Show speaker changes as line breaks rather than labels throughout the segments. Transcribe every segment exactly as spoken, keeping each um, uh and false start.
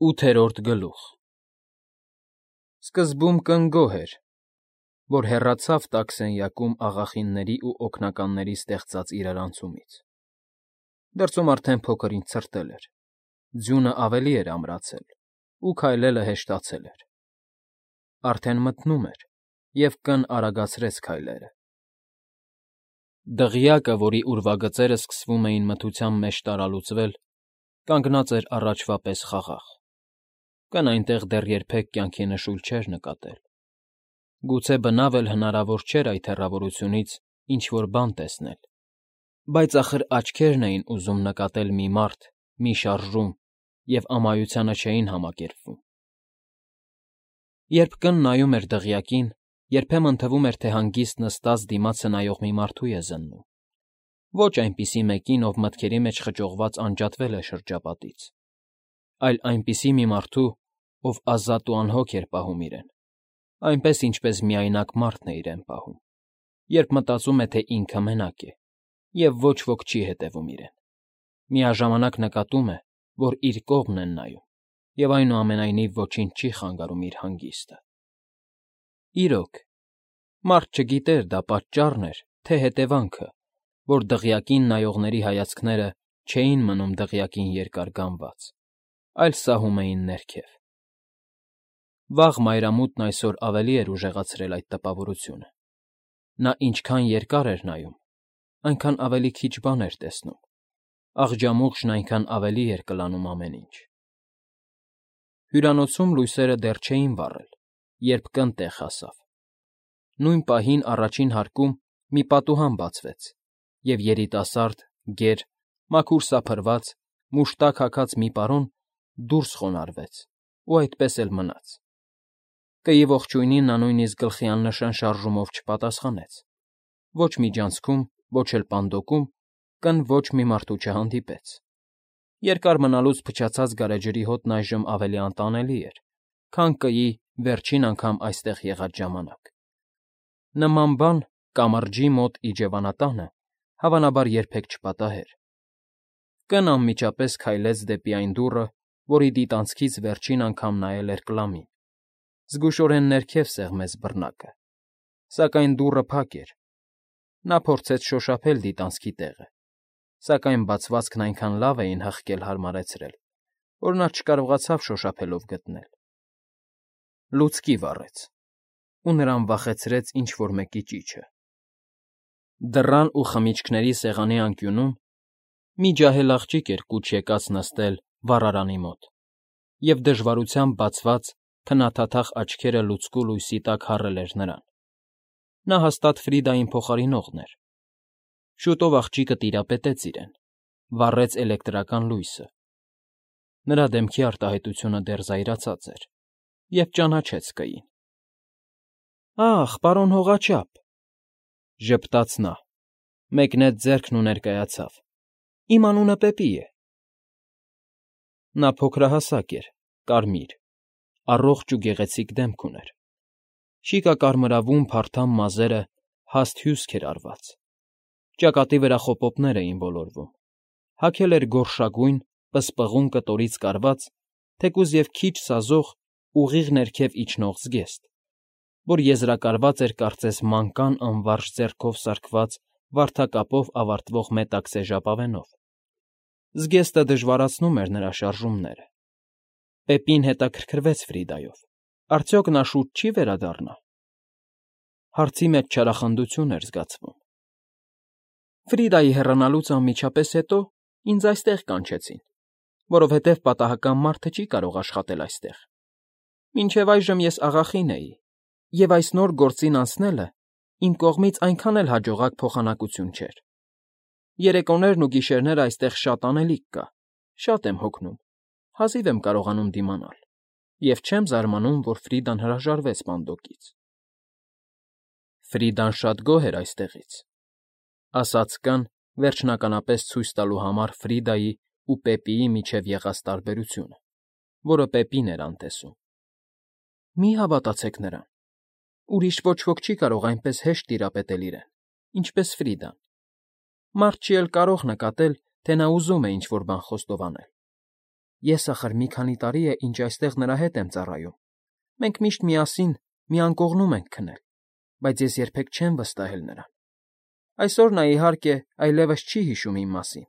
ՈՒԹԵՐՈՐԴ ԳԼՈՒԽ Սկզբում կնգոհ էր, որ հեռացավ տաք սենյակում աղախինների ու օգնականների ստեղծած իրարանցումից. դրսում արդեն փոքր֊ինչ ցրտել էր, ձյունը ավելի էր ամրացել, ու քայլելը հեշտացել էր. արդեն մթնում էր, և կն արագացրեց քայլերը։ Դղյակը, որի ուրվագծերը սկսվում էին մթության մեջ տարալուծվել, կանգնած էր առաջվա պես խաղաղ. կն այնտեղ դեռ երբեք կյանքի նշույլ չէր նկատել, գուցե բնավ էլ հնարավոր չէր այդ հեռավորությունից ինչ֊որ բան տեսնել, բայց ախր աչքերն էին ուզում նկատել մի մարդ, մի շարժում և ամայությանը չէին համակերպվում։ Երբ կն նայում էր դղյակին, երբեմն թվում էր, թե հանգիստ նստած դիմացը նայող մի մարդու է զննում, ոչ այնպիսի մեկին, ով մտքերի մեջ խճողված անջատվել է շրջապատից, այլ այնպիսի մի մարդու, ով ազատ ու անհոգ էր պահում իրեն, այնպես, ինչպես միայնակ մարդն է իրեն պահում, երբ մտածում է, թե ինքը մենակ է, և ոչ ոք չի հետևում իրեն, միաժամանակ նկատում է, որ իր կողմն են նայում, և այնուամենայնիվ ոչինչ չի խանգարում իր հանգիստը։ Իրոք, մարդ չգիտեր դա պատճառն էր, թե հետևանքը, որ դղյակին նայողների հայացքները չէին մնում դղյակին երկար գանված, այլ սահում էին ներքև։ Վաղ մայրամուտն այսօր ավելի էր ուժեղացրել այդ տպավորությունը. նա ինչքան երկար էր նայում, այնքան ավելի քիչ բան էր տեսնում, աղջամուղջն այնքան ավելի էր կլանում ամեն ինչ։ Հյուրանոցում լույսերը դեռ չէին վառել, երբ կն տեղ հասավ։ Նույն պահին առաջին հարկում մի պատուհան բացվեց, և երիտասարդ, գեր, մաքուր սափրված, մուշտակ հագած մի պարոն դուրս խոնարհվեց ու այդպես էլ մնաց։ Կեի ողջույնին նա նույնիսկ գլխի աննշան շարժումով չպատասխանեց, ոչ միջանցքում, ոչ էլ պանդոկում կն ոչ մի մարդու չհանդիպեց։ Երկար մնալուց փչացած գարեջրի հոտն այժմ ավելի անտանելի էր, քան կեի վերջին անգամ այստեղ եղած ժամանակ։ Նման բան կամրջի մոտ իջևանատանը հավանաբար երբեք չպատահեր։ Կն անմիջապես քայլեց դեպի այն դուռը, որի դիտանցքից վերջին անգամ նայել էր Կլամին, զգուշորեն ներքև սեղմեց բռնակը, սակայն դուռը փակ էր։ Նա փորձեց շոշափել դիտանցքի տեղը, սակայն բացվածքն այնքան լավ էին հղկել հարմարեցրել, որ նա չկարողացավ շոշափելով գտնել։ Լուցկի վառեց, ու նրան վախեցրեց ինչ֊որ մեկի ճիչը։ Դռան ու խմիչքների սեղանի անկյունում մի ջահել աղջիկ էր կուչ եկած նստել վառարանի մոտ, և դժվարությամբ բացված, քննաթաթախ աչքերը լուցկու լույսի տակ հառել էր նրան։ Նա հաստատ Ֆրիդային փոխարինողն էր։ Շուտով աղջիկը տիրապետեց իրեն, վառեց էլեկտրական լույսը։ Նրա դեմքի արտահայտությունը դեռ զայրացած էր, և ճանաչեց կեին։ ֊ Ախ, պարոն հողաչափ,֊ ժպտաց նա, մեկնեց ձեռքն ու ներկայացավ,֊ իմ անունը Պեպի է։ Նա փոքրահասակ էր, կարմիր, առողջ ու գեղեցիկ դեմք ուներ, շիկակարմրավուն փարթամ մազերը հաստ հյուսք էր արված, ճակատի վրա խոպոպներ էին ոլորվում, հագել էր գորշագույն, պսպղուն կտորից կարված, թեկուզ և քիչ սազող, ուղիղ ներքև իջնող զգեստ, որ եզրակարված էր կարծես մանկան անվարժ ձեռքով սարքված վարդակապով ավարտվող մետաքսե ժապավենով։ Զգեստը դժվարացնում էր նրա շարժումները։ Պեպին հետաքրքրվեց Ֆրիդայով. արդյոք նա շուտ չի վերադառնա։ Հարցի մեջ չարախնդություն էր զգացվում։ Ֆրիդայի հեռանալուց անմիջապես հետո ինձ այստեղ կանչեցին, որովհետև պատահական մարդը չի կարող աշխատել այստեղ։ Մինչև այժմ ես աղախին էի, և այս նոր գործին անցնելը իմ կողմից այնքան էլ հաջողակ փոխանակություն չէր։ Երեկոներն ու գիշերները այստեղ շատ անելիք կա, շատ եմ հոգնում, հազիվ եմ կարողանում դիմանալ, և չեմ զարմանում, որ Ֆրիդան հրաժարվեց պանդոկից։ Ֆրիդան շատ գոհ էր այստեղից,֊ ասաց կն, վերջնականապես ցույց տալու համար Ֆրիդայի ու Պեպիի միջև եղած տարբերությունը, որը Պեպին էր անտեսում։ Մի՛ հավատացեք նրան, ուրիշ ոչ ոք չի կարող այնպես հեշտ տիրապետել իրեն, ինչպես Ֆրիդան։ Մարդ չի էլ կարող նկատել, թե նա ուզում է ինչ֊որ բան խոստովանել։ Ես ախր մի քանի տարի է, ինչ այստեղ նրա հետ եմ ծառայում. մենք միշտ միասին մի անկողնում ենք քնել, բայց ես երբեք չեմ վստահել նրան։ Այսօր նա, իհարկե, այլևս չի հիշում իմ մասին։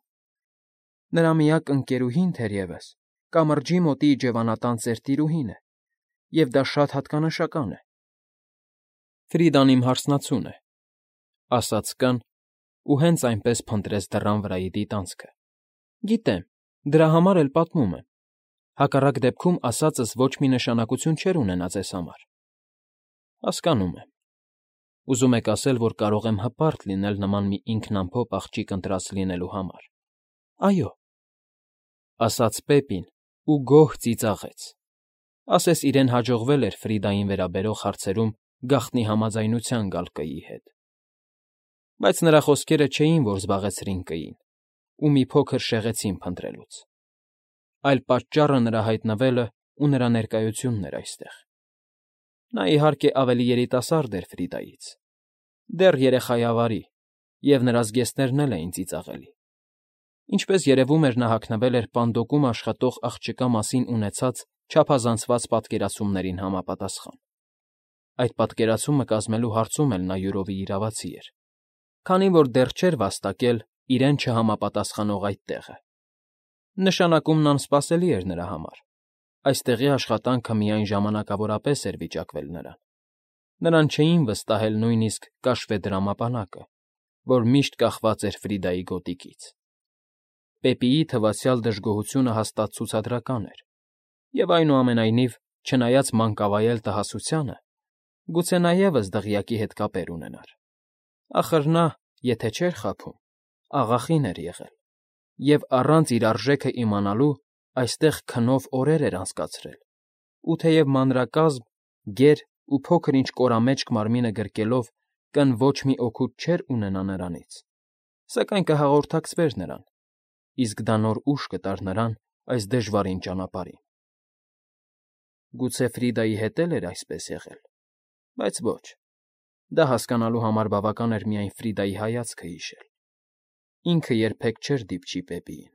Նրա միակ ընկերուհին, թերևս, կամրջի մոտի իջևանատան ծեր տիրուհին է, և դա շատ հատկանշական է։ Ֆրիդան իմ հարսնացուն է, ասաց կն ու հենց այնպես փնտրեց դռան վրայի դիտանցքը։ Գիտեմ, դրա համար էլ պատմում եմ։ Հակառակ դեպքում ասածս ոչ մի նշանակություն չէր ունենա ձեզ համար։ Հասկանում եմ։ Ուզում եք ասել, որ կարող եմ հպարտ լինել նման մի ինքնամփոփ աղջիկ ընտրած լինելու համար։ Այո, ասաց Պեպին ու գոհ ծիծաղեց։ Ասես իրեն հաջողվել էր Ֆրիդային վերաբերող հարցերում գաղտնի համաձայնության գալ կîի հետ։ Բայց նրա խոսքերը չէին, որ զբաղեցրին կîին, ու մի փոքր շեղեցին փնտրելուց։ Այլ պատճառը նրա հայտնվելը ու նրա ներկայությունն էր այստեղ։ Նա, իհարկե, ավելի երիտասարդ էր Ֆրիդայից, դեռ երեխայավարի, և նրա զգեստներն էլ էին ծիծաղելի։ Ինչպես երևում էր, նա հագնվել էր պանդոկում աշխատող աղջկա մասին ունեցած չափազանցված պատկերացումներին համապատասխան։ Այդ պատկերացումը կազմելու հարցում էլ նա յուրովի իրավացի էր, քանի որ դեռ չէր վաստակել իրեն չհամապատասխանող այդ տեղը։ Նշանակումն անսպասելի էր նրա համար։ Այստեղի աշխատանքը միայն ժամանակավորապես էր վիճակվել նրան։ Նրան չէին վստահել նույնիսկ կաշվեդրամապանակը, որ միշտ կախված էր Ֆրիդայի գոտիքից։ Պեպիի թվացյալ դժգոհությունը հաստատ ցուցադրական էր, և այնուամենայնիվ, չնայած մանկավայել տհասությանը, գուցե նա ևս դղյակի հետ կապեր ունենար։ Ախր նա, եթե չէր խաբում, աղախին էր եղել, և առանց իր արժեքը իմանալու այստեղ քնով օրեր էր անցկացրել, ու թեև մանրակազմ, գեր ու փոքր֊ինչ կորամեջք մարմինը գրկելով կն ոչ մի օգուտ չէր ունենա նրանից, սակայն կհաղորդակցվեր նրան, իսկ դա նոր ուժ կտար նրան այս դժվարին ճանապարհին։ Գուցե Ֆրիդայի հետ էլ էր այսպես եղել, բայց ոչ, դա հասկանալու համար բավական էր միայն Ֆրիդայի հայացքը հիշել։ Ինքը երբեք չէր դիպչի Պեպիին,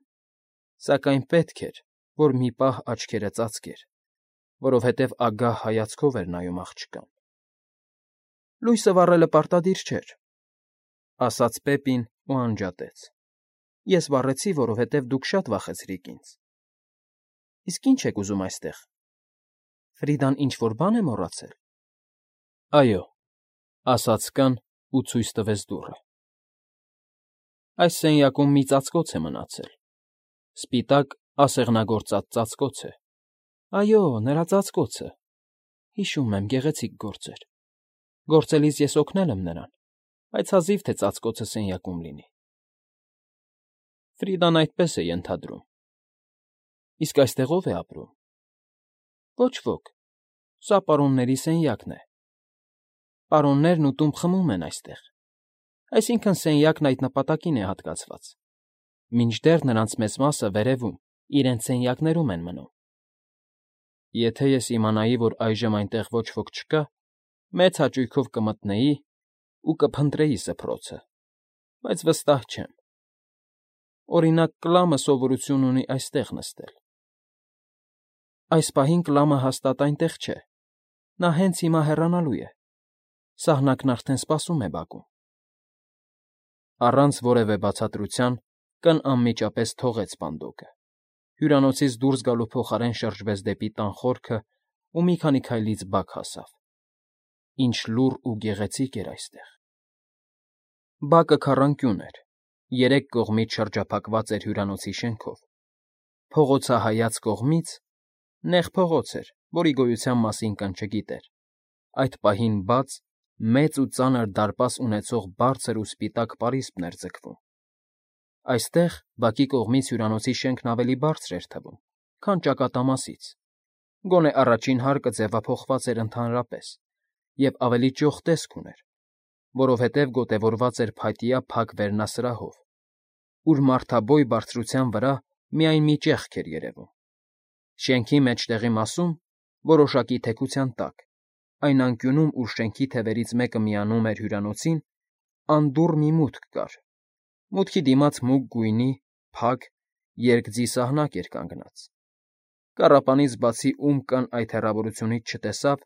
սակայն պետք էր, որ մի պահ աչքերը ծածկեր, որովհետև ագահ հայացքով էր նայում աղջկան։ Լույսը վառելը պարտադիր չէր, ասաց Պեպին ու անջատեց։ Ես վառեցի, որովհետև դուք շատ վախեցրիք ինձ։ Իսկ ի՞նչ եք ուզում այստեղ։ Ֆրիդան ինչ֊որ բան է մոռացել։ Այո, ասաց կն ու ցույց տվեց դուռը։ Այս սենյակում մի ծածկոց է մնացել։ Սպիտակ ասեղնագործած ծածկոց է։ Այո, նրա ծածկոցը։ Հիշում եմ, գեղեցիկ գործ էր։ Գործելիս ես օգնել եմ նրան, բայց հազիվ թե ծածկոցը սենյակում լինի։ Ֆրիդան այդպես է ենթադրում։ Իսկ այստեղ ո՞վ է ապրում։ Ոչ ոք։ Սա պարոնների սենյակն է։ Պարոններն ու տուն խմում են այստեղ։ Այսինքն՝ սենյակն այդ նպատակին է հատկացված։ Մինչդեռ նրանց մեծ մասը վերևում, իրենց սենյակներում են մնում։ Եթե ես իմանայի, որ այժմ այնտեղ ոչ ոք չկա, մեծ հաճույքով կմտնեի ու կփնտրեի սփռոցը, բայց վստահ չեմ։ Օրինակ, Կլամը սովորություն ունի այստեղ նստել։ Այս պահին Կլամը հաստատ այնտեղ չէ։ Նա հենց հիմա հեռանալու է։ Սահնակն արդեն սպասում է բակում։ Առանց որևէ բացատրության կն անմիջապես թողեց պանդոկը, հյուրանոցից դուրս գալու փոխարեն շրջվեց դեպի տան խորքը ու մի քանի քայլից բակ հասավ։ Ինչ լուռ ու գեղեցիկ էր այստեղ։ Բակը քառանկյուն էր, երեք կողմից շրջափակված էր հյուրանոցի շենքով։ Փողոցահայաց կողմից նեղ փողոց էր, որի գոյության մասին կն չգիտեր։ Այդ պահին բաց, մեծ ու ծանր դարպաս ունեցող բարձր ու սպիտակ պարիսպն էր ձգվում։ Այստեղ բակի կողմից հյուրանոցի շենքն ավելի բարձր էր թվում, քան ճակատամասից, գոնե առաջին հարկը ձևափոխված էր ընդհանրապես և ավելի ճոխ տեսք ուներ, որովհետև գոտևորված էր փայտյա փակ վերնասրահով, ուր մարդաբոյ բարձրության վրա միայն մի ճեղք էր երևում։ Շենքի մեջտեղի մասում, որոշակի թեքության տակ, այն անկյունում, ուր շենքի թևերից մեկը միանում էր հյուրանոցին, անդուռ մի մուտք կար։ Մուտքի դիմաց մուգ գույնի, փակ, երկձի սահնակ էր կանգնած։ Կառապանից բացի ում կան այդ հեռավորությունից չտեսավ,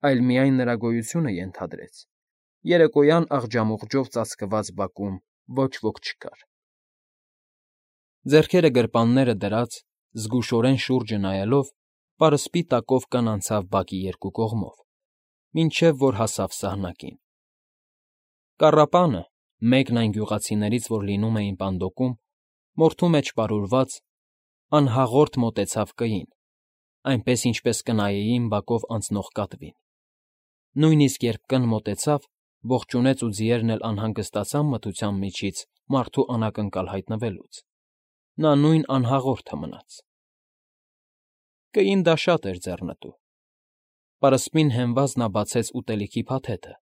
այլ միայն նրա գոյությունը ենթադրեց. երեկոյան աղջամուղջով ծածկված բակում ոչ ոք չկար։ Ձեռքերը գրպանները դրած, զգուշորեն շուրջը նայելով, պարսպի տակով կն անցավ բակի երկու կողմով, մինչև որ հասավ սահնակին։ Կառապանը, մեկն այն գյուղացիներից, որ լինում էին պանդոկում, մորթու մեջ պարուրված, անհաղորդ մոտեցավ կային, այնպես ինչպես կնայեին բակով անցնող կատվին։ Նույնիսկ երբ կն մոտեցավ, ողջունեց ու ձիերն էլ անհանգստացան մթության միջից մարդու անակնկալ հայտնվելուց, նա նույն անհաղորդը մնաց։ Կային դա շատ էր ձեռնտու։ Պարսպին հենված նա բացեց ուտելիքի փաթեթը,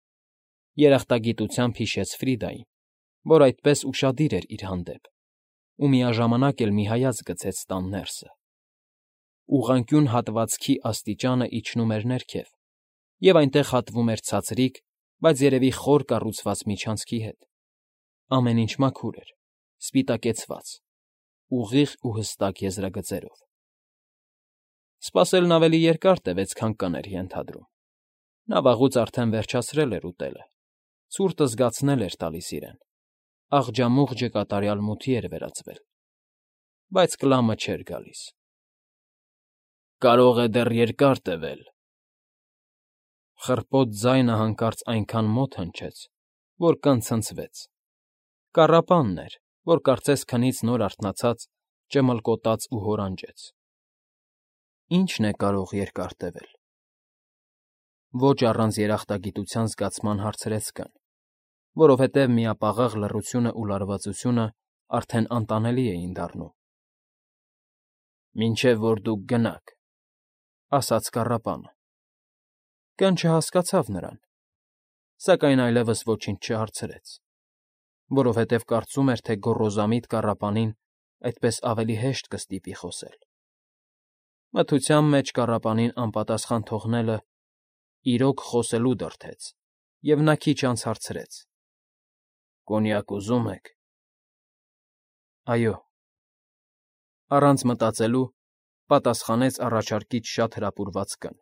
երախտագիտությամբ հիշեց Ֆրիդային, որ այդպես ուշադիր էր իր հանդեպ, ու միաժամանակ էլ մի հայացք գցեց տան ներսը։ Ուղղանկյուն հատվածքի աստիճանը իջնում էր ներքև, և այնտեղ հատվում էր ցածրիկ, բայց երևի խոր կառուցված միջանցքի հետ։ Ամեն ինչ մաքուր էր, սպիտակեցված, ուղիղ ու հստակ եզրագծերով։ Սպասելն ավելի երկար տևեց, քան կն էր ենթադրում։ Նա վաղուց արդեն վերջացրել էր ուտելը, ցուրտը զգացնել էր տալիս իրեն, աղջամուղջը կատարյալ մութի էր վերածվել, բայց կլամը չէր գալիս։ Կարող է դեռ երկար տևել։ Խռպոտ ձայնը հանկարծ այնքան մոտ հնչեց, որ կն ցնցվեց։ Կառապանն էր, որ կարծես քնից նոր արթնացած, ճմլկոտաց ու հորանջեց։ Ի՞նչն է կարող երկար տևել։ Ոչ առանց երախտագիտության զգացման հարցրեց կն, որովհետև միապաղաղ լռությունն ու լարվածությունը արդեն անտանելի էին դառնում։ Մինչև որ դուք գնաք, ասաց կառապանը։ Կն չհասկացավ նրան, սակայն այլևս ոչինչ չհարցրեց, որովհետև կարծում էր, թե գոռոզամիտ կառապանին այդպես ավելի հեշտ կստիպի խոսել։ Մթության մեջ կառապանին անպատասխան թողնելը իրոք խոսելու դրդեց, և նա քիչ անց հարցրեց. Կոնյակ ուզում եք։ Այո։ Առանց մտածելու պատասխանեց առաջարկից շատ հրապուրված կն,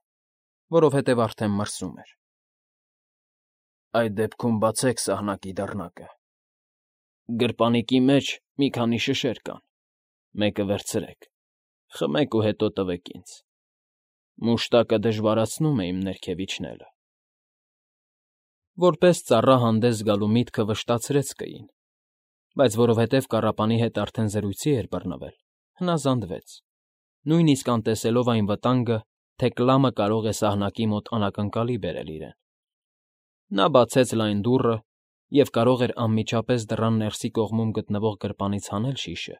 որովհետև արդեն մրսում էր։ Այդ դեպքում բացեք սահնակի դռնակը։ Գրպանիկի մեջ մի քանի շշեր կան, մեկը վերցրեք, խմեք ու հետո տվեք ինձ։ Մուշտակը դժվարացնում է իմ ներքև իջնելը։ Որպես ծառա հանդես գալու միտքը վշտացրեց կային, բայց որովհետև կառապանի հետ արդեն զրույցի էր բռնվել, հնազանդվեց, նույնիսկ անտեսելով այն վտանգը, թե կլամը կարող է սահնակի մոտ անակնկալի բերել իրեն։ Նա բացեց լայն դուռը և կարող էր անմիջապես դռան ներսի կողմում գտնվող գրպանից հանել շիշը,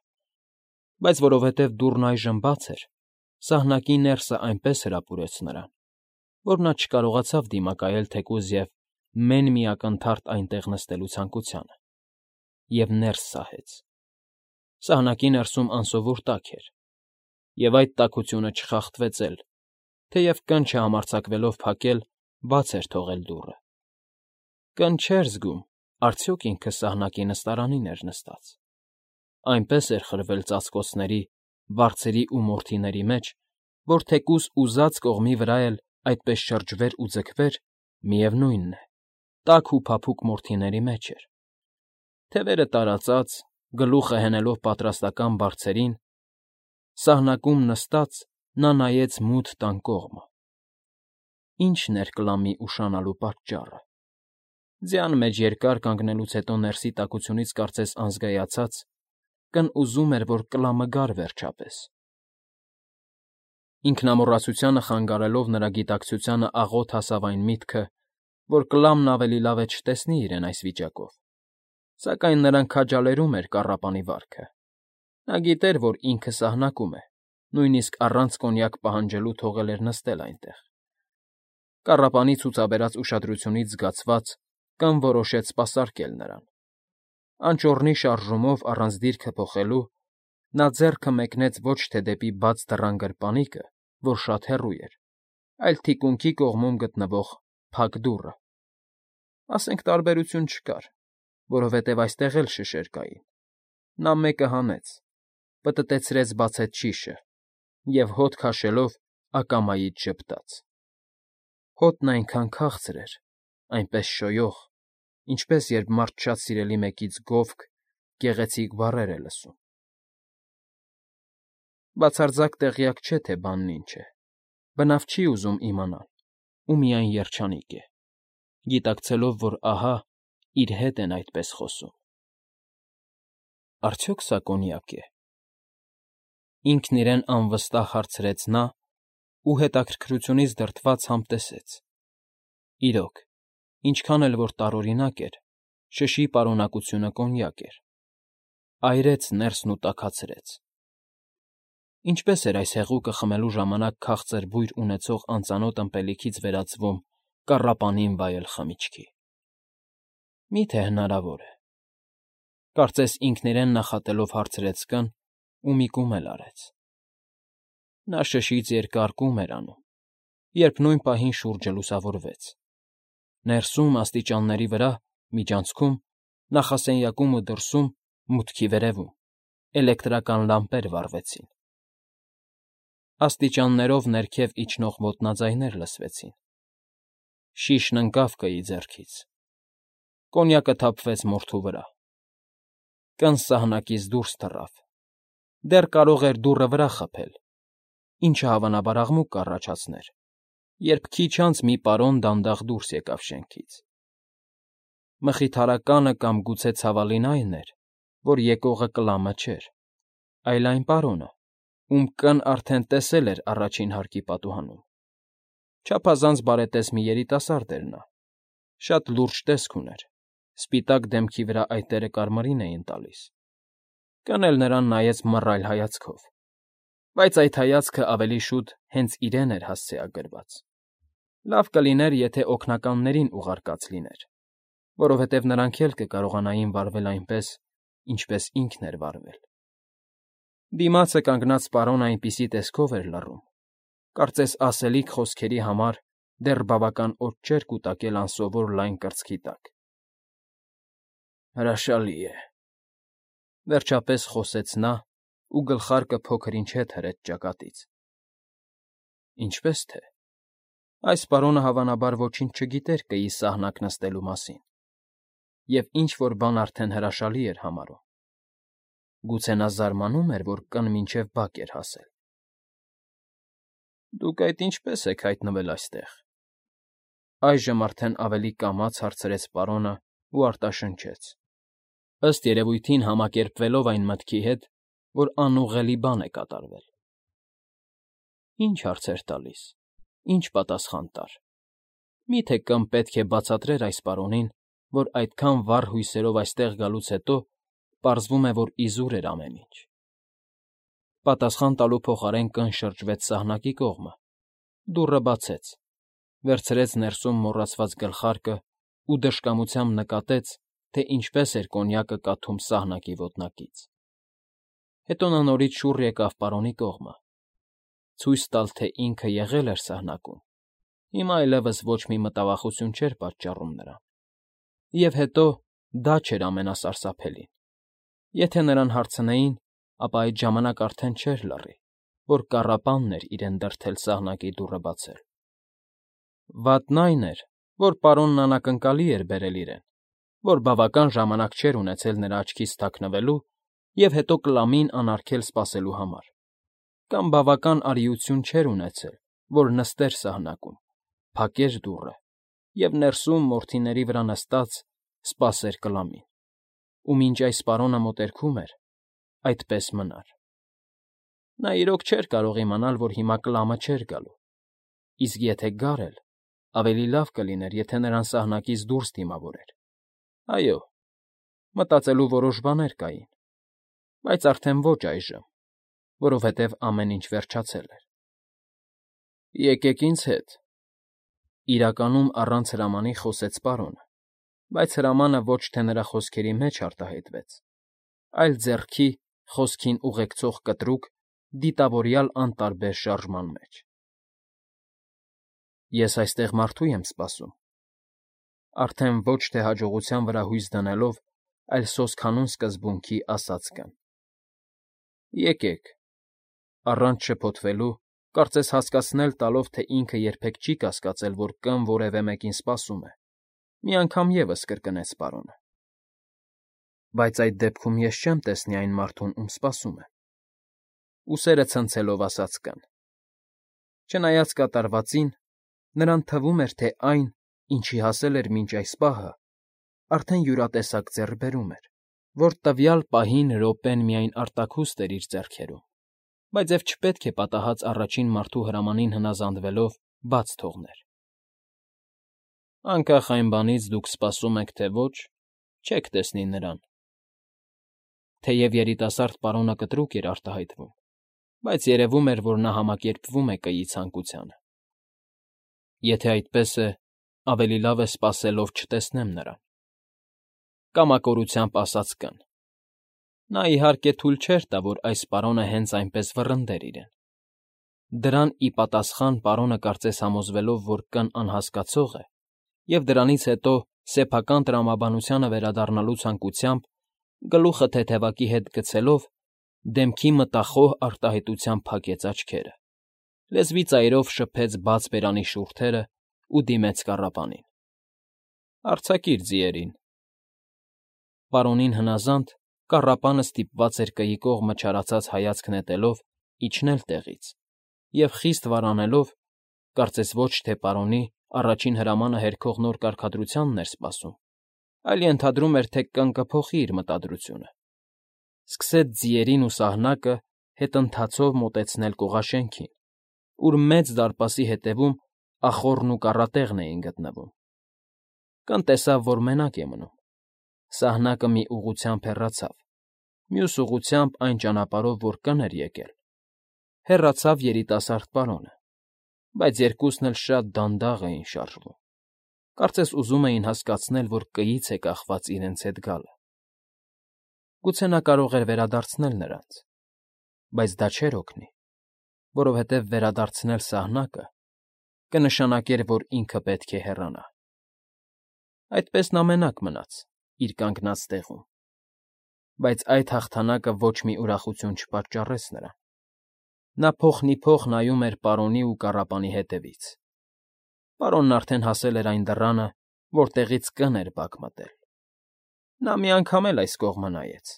բայց որովհետև դուռն այժմ բաց էր, սահնակի ներսը այնպես հրապուրեց նրան, որ նա չկարողացավ դիմակայել թեկուզ և մեն մի ակնթարթ այնտեղ նստելու ցանկությանը, և ներս սահեց։ Սահնակի ներսում անսովոր տաք էր, և այդ տաքությունը չխախտվեց էլ, թեև կն չհամարձակվելով փակել, բաց էր թողել դուռը։ Կն չէր զգում, արդյոք ինքը սահնակի նստարանին էր նստած։ Այնպես էր խրվել ծածկոցների, բարձրի ու մորթիների մեջ, որ թեկուզ ուզած կողմի վրա էլ այդպես շրջվեր ու ձգվեր, միևնույնն է, տաք ու փափուկ մորթիների մեջ էր։ Թևերը տարածած, գլուխը հենելով պատրաստական բարձերին, սահնակում նստած նա նայեց մութ տան կողմը։ Ի՞նչն էր կլամի ուշանալու պատճառը։ Ձյան մեջ երկար կանգնելուց հետո ներսի տաքությունից կարծես անզգայացած, կն ուզում էր, որ կլամը գար վերջապես։ Ինքնամոռացությանը խանգարելով նրա գիտակցությանը աղոտ հասավ այն միտքը, որ կլամն ավելի լավ է չտեսնի իրեն այս վիճակով, սակայն նրան քաջալերում էր կառապանի վարքը։ Նա գիտեր, որ ինքը սահնակում է, նույնիսկ առանց կոնյակ պահանջելու թողել էր նստել այնտեղ։ Կառապանի ցուցաբերած ուշադրությունից զգացված, կն որոշեց սպասարկել նրան։ Անճոռնի շարժումով առանց դիրքը փոխելու, նա ձեռքը մեկնեց ոչ թե դեպի բաց դռան գրպանիկը, որ շատ հեռու էր, այլ թիկունքի կողմում գտնվող փակ դուռը։ Ասենք տարբերություն չկար, որովհետև այստեղ էլ շշեր կային։ Նա մեկը հանեց, պտտեցրեց բացեց շիշը, և հոտ քաշելով ակամայից ժպտաց. հոտն այնքան քաղցր էր, այնպես շոյող, ինչպես երբ մարդ շատ սիրելի մեկից գովք, գեղեցիկ բառեր է լսում։ Բացարձակ տեղյակ չէ, թե բանն ինչ է, բնավ չի ուզում իմանալ ու միայն երջանիկ է, գիտակցելով, որ ահա, իր հետ են այդպես խոսում։ Արդյոք սա կոնյակ է։ Ինքն իրեն անվստահ հարցրեց նա ու հետաքրքրությունից դրդված համտեսեց. իրոք, ինչքան էլ որ տարօրինակ էր, շշի պարունակությունը կոնյակ էր։ Այրեց ներսն ու տաքացրեց։ Ինչպես էր այս հեղուկը խմելու ժամանակ քաղցր բույր ունեցող անծանոթ ըմպելիքից վերածվում կառապանին վայել խմիչքի։ Մի՞թե հնարավոր է։ Կարծես ինքն իրեն նախատելով հարցրեց կն ու մի կում էլ արեց։ Նա շշից երկար կում էր անում, երբ նույն պահին շուրջը լուսավորվեց։ Ներսում, աստիճանների վրա, միջանցքում, նախասենյակում ու դրսում, մուտքի վերևում, էլեկտրական լամպեր վառվեցին։ Աստիճաններով ներքև իջնող ոտնաձայներ լսվեցին։ Շիշն ընկավ կայի ձեռքից։ Կոնյակը թափվեց մորթու վրա։ Կն սահնակից դուրս թռավ։ Դեռ կարող էր դուռը վրա խփել, ինչը հավանաբար աղմուկ կառաջացներ, երբ քիչ անց մի պարոն դանդաղ դուրս եկավ շենքից։ Մխիթարականը կամ գուցե ցավալին այն էր, որ եկողը Կլամը չէր, այլ այն պարոնը, ում կն արդեն տեսել էր առաջին հարկի պատուհանում։ Չափազանց բարետես մի երիտասարդ էր նա, շատ լուրջ տեսք ուներ, սպիտակ դեմքի վրա այտերը կարմիրին էին տալիս։ Կն էլ նրան նայեց մռայլ հայացքով, բայց այդ հայացքը ավելի շուտ հենց իրեն էր հասցեագրված։ Լավ կլիներ, եթե օգնականներին ուղարկած լիներ, որովհետև նրանք էլ կկարողանային վարվել այնպես, ինչպես ինքն էր վարվել։ Դիմացը կանգնած պարոնը այնպիսի տեսքով էր լռում, կարծես ասելիք խոսքերի համար դեռ բավական օդ չէր կուտակել անսովոր լայն կրծքի տակ։ Հրաշալի է,֊ վերջապես խոսեց նա ու գլխարկը փոքր֊ինչ հետ հրեց ճակատից։ Ինչպես թե, այս պարոնը հավանաբար ոչինչ չգիտեր կեի սահնակ նստելու մասին և ինչ֊որ բան արդեն հրաշալի էր համարում։ Գուցե նա զարմանում էր, որ կն մինչև բակ էր հասել։ Դուք այդ ինչպե՞ս եք հայտնվել այստեղ,֊ այժմ արդեն ավելի կամաց հարցրեց պարոնն ու արտաշնչեց, ըստ երևույթին համակերպվելով այն մտքի հետ, որ անուղղելի բան է կատարվել։ Ինչ հարցեր տալիս, ինչ պատասխան տար։ Մի՞թե կն պետք է բացատրեր այս պարոնին, որ այդքան վառ հույսերով այստեղ գալուց հետո պարզվում է, որ իզուր էր ամեն ինչ։ Պատասխան տալու փոխարեն կն շրջվեց սահնակի կողմը, դուռը բացեց, վերցրեց ներսում մոռացված գլխարկն ու դժկամությամբ նկատեց, թե ինչպես էր կոնյակը կաթում սահնակի ոտնակից։ Հետո նա նորից շուռ եկավ պարոնի կողմը, ցույց տալ, թե ինքը եղել էր սահնակում, հիմա այլևս ոչ մի մտավախություն չէր պատճառում նրան։ Եվ հետո դա չէր ամենասարսափելին։ Եթե նրան հարցնեին, ապա այդ ժամանակ արդեն չէր լռի, որ կառապանն էր իրեն դրդել սահնակի դուռը բացել։ Վատն այն էր, որ պարոնն անակնկալի էր բերել իրեն, որ բավական ժամանակ չէր ունեցել նրա աչքից թաքնվելու և հետո Կլամին անարգել սպասելու համար, կամ բավական արիություն չէր ունեցել, որ նստեր սահնակում, փակեր դուռը և ներսում, մորթիների վրա նստած, սպասեր Կլամին, ու մինչ այս պարոնը մոտերքում էր, այդպես մնար։ Նա իրոք չէր կարող իմանալ, որ հիմա Կլամը չէր գալու, իսկ եթե գար էլ, ավելի լավ կլիներ, եթե նրան սահնակից դուրս դիմավորեր։ Այո, մտածելու որոշ բաներ կային, բայց արդեն ոչ այժմ, որովհետև ամեն ինչ վերջացել էր։ Եկեք ինձ հետ,֊ իրականում առանց հրամանի խոսեց պարոնը, բայց հրամանը ոչ թե նրա խոսքերի մեջ արտահայտվեց, այլ ձեռքի, խոսքին ուղեկցող կտրուկ, դիտավորյալ անտարբեր շարժման մեջ։ Ես այստեղ մարդու եմ սպասում,֊ արդեն ոչ թե հաջողության վրա հույս դնելով, այլ սոսկանուն սկզբունքի ասաց կն։ Եկեք, առանց շփոթվելու, կարծես հասկացնել տալով, թե ինքը երբեք չի կասկածել, որ կան որևէ մեկին սպասում է, մի անգամ ևս կրկնեց պարոնը։ Բայց այդ դեպքում ես չեմ տեսնի այն մարդուն, ում սպասում եմ,֊ ուսերը ցնցելով ասաց կին։ Չնայած կատարվածին, նրան թվում էր, թե այն, ինչի հասել էր մինչ այս պահը, արդեն յուրատեսակ ձեռքբերում էր, որ տվյալ պահին րոպեն միայն արտաքուստ էր իր ձեռքերում, բայց և չպետք է պատահած առաջին մարդու հրամանին հնազանդվելով բաց թողներ։ Անկախ այն բանից դուք սպասում եք, թե ոչ, չեք տեսնի նրան։ Թեև երիտասարդ պարոնը կտրուկ էր արտահայտվում, բայց երևում էր, որ նա համակերպվում է կիի ցանկությանը։ Եթե այդպես է, ավելի լավ է սպասելով չտեսնեմ նրան,֊ կամակորությամբ ասաց կին։ Նա, իհարկե, թույլ չէր տա, որ այս պարոնը հենց այնպես վռնդեր իրեն։ Դրան ի պատասխան պարոնը կարծես համոզվելով, որ կին անհասկացող է, և դրանից հետո սեփական տրամաբանությանը վերադառնալու ցանկությամբ, գլուխը թեթևակի հետ գցելով, դեմքի մտախոհ արտահայտությամբ փակեց աչքերը, լեզվի ծայրով շփեց բաց բերանի շուրթերն ու դիմեց կառապանին։ ֊ Արձակիր ձիերին։ Պարոնին հնազանդ, կառապանը ստիպված էր կիի կողմը չարացած հայացք նետելով իջնել տեղից և խիստ վարանելով, կարծես ոչ թե պարոնի առաջին հրամանը հերքող նոր կարգադրությանն էր սպասում, այլ ենթադրում էր, թե կին կփոխի իր մտադրությունը, սկսեց ձիերին ու սահնակը հետընթացով մոտեցնել կողաշենքին, ուր մեծ դարպասի ետևում ախոռն ու կառատեղն էին գտնվում։ Կին տեսավ, որ մենակ է մնում։ Սահնակը մի ուղղությամբ հեռացավ, մյուս ուղղությամբ այն ճանապարհով, որ կին էր եկել, հեռացավ երիտասարդ պարոնը, բայց երկուսն էլ շատ դանդաղ էին շարժվում, կարծես ուզում էին հասկացնել, որ կիից է կախված իրենց հետ գալը։ Գուցե նա կարող էր վերադարձնել նրանց, բայց դա չէր օգնի, որովհետև վերադարձնել սահնակը կնշանակեր, որ ինքը պետք է հեռանա։ Այդպես նա մենակ մնաց իր կանգնած տեղում, բայց այդ հաղթանակը ոչ մի ուրախություն չպատճառեց նրան։ Նա փոխնիփոխ նայում էր պարոնի ու կառապանի հետևից։ Պարոնն արդեն հասել էր այն դռանը, որտեղից կին էր բակ մտել։ Նա մի անգամ էլ այս կողմը նայեց,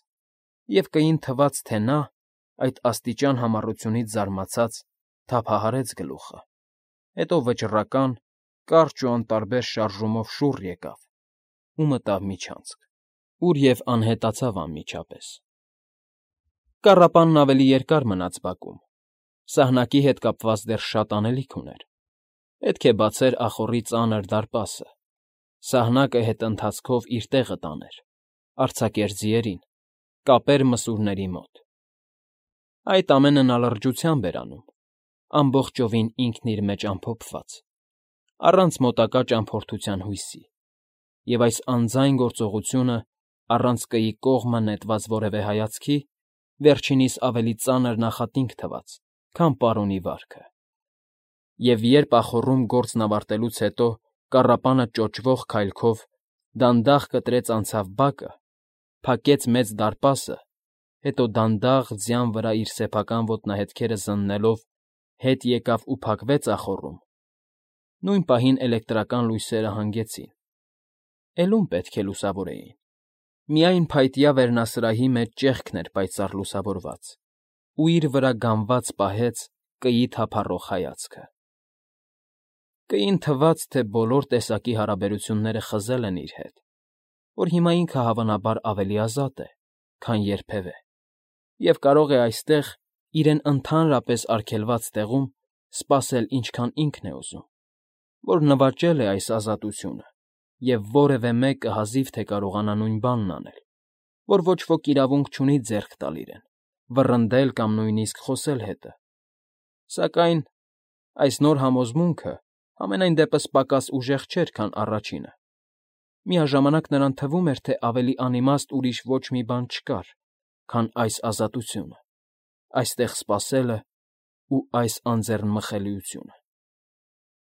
և կիին թվաց, թե նա, այդ աստիճան համառությունից զարմացած, թափահարեց գլուխը, հետո վճռական, կարճ ու անտարբեր շարժումով շուռ եկավ ու մտավ միջանցք, ուր և անհետացավ անմիջապես։ Կառապանն ավելի երկար մնաց բակում, սահնակի հետ կապված դեռ շատ անելիք ուներ։ Պետք է բացեր ախոռի ծանր դարպասը, սահնակը հետընթացքով իր տեղը տաներ, արձակեր ձիերին, կապեր մսուրների մոտ։ Այդ ամենը նա լրջությամբ էր անում, ամբողջովին ինքն իր մեջ ամփոփված, առանց մոտակա ճամփորդության հույսի, և այս անձայն գործողությունը, առանց կիի կողմը նետված որևէ հայացքի, վերջինիս ավելի ծանր նախատինք թվաց, քան պարոնի վարքը։ Եվ երբ ախոռում գործն ավարտելուց հետո կառապանը ճոճվող քայլքով դանդաղ կտրեց անցավ բակը, փակեց մեծ դարպասը, հետո դանդաղ ձյան վրա իր սեփական ոտնահետքերը զննելով հետ եկավ ու փակվեց ախոռում, նույն պահին էլեկտրական լույսերը հանգեցին, էլ ում պետք է լուսավորեին, միայն փայտյա վերնասրահի մեջ ճեղքն էր պայծառ լուսավորված, ու իր վրա գամված պահեց կիի թափառող հայացքը։ Կիին թվաց, թե բոլոր տեսակի հարաբերությունները խզել են իր հետ, որ հիմա ինքը հավանաբար ավելի ազատ է, քան երբևէ, և կարող է այստեղ, իրեն ընդհանրապես արգելված տեղում, սպասել ինչքան ինքն է ուզում, որ նվաճել է այս ազատությունը, և որևէ մեկը հազիվ թե կարողանա նույն բանն անել, որ ոչ ոք իրավունք չունի ձեռք տալ իրեն, վռնդել կամ նույնիսկ խոսել հետը։ Սակայն այս նոր համոզմունքը համենայն դեպս պակաս ուժեղ չէր, քան առաջինը։ Միաժամանակ նրան թվում էր, թե ավելի անիմաստ ուրիշ ոչ մի բան չկար, քան այս ազատությունը, այստեղ սպասելն ու այս անձեռնմխելիությունը։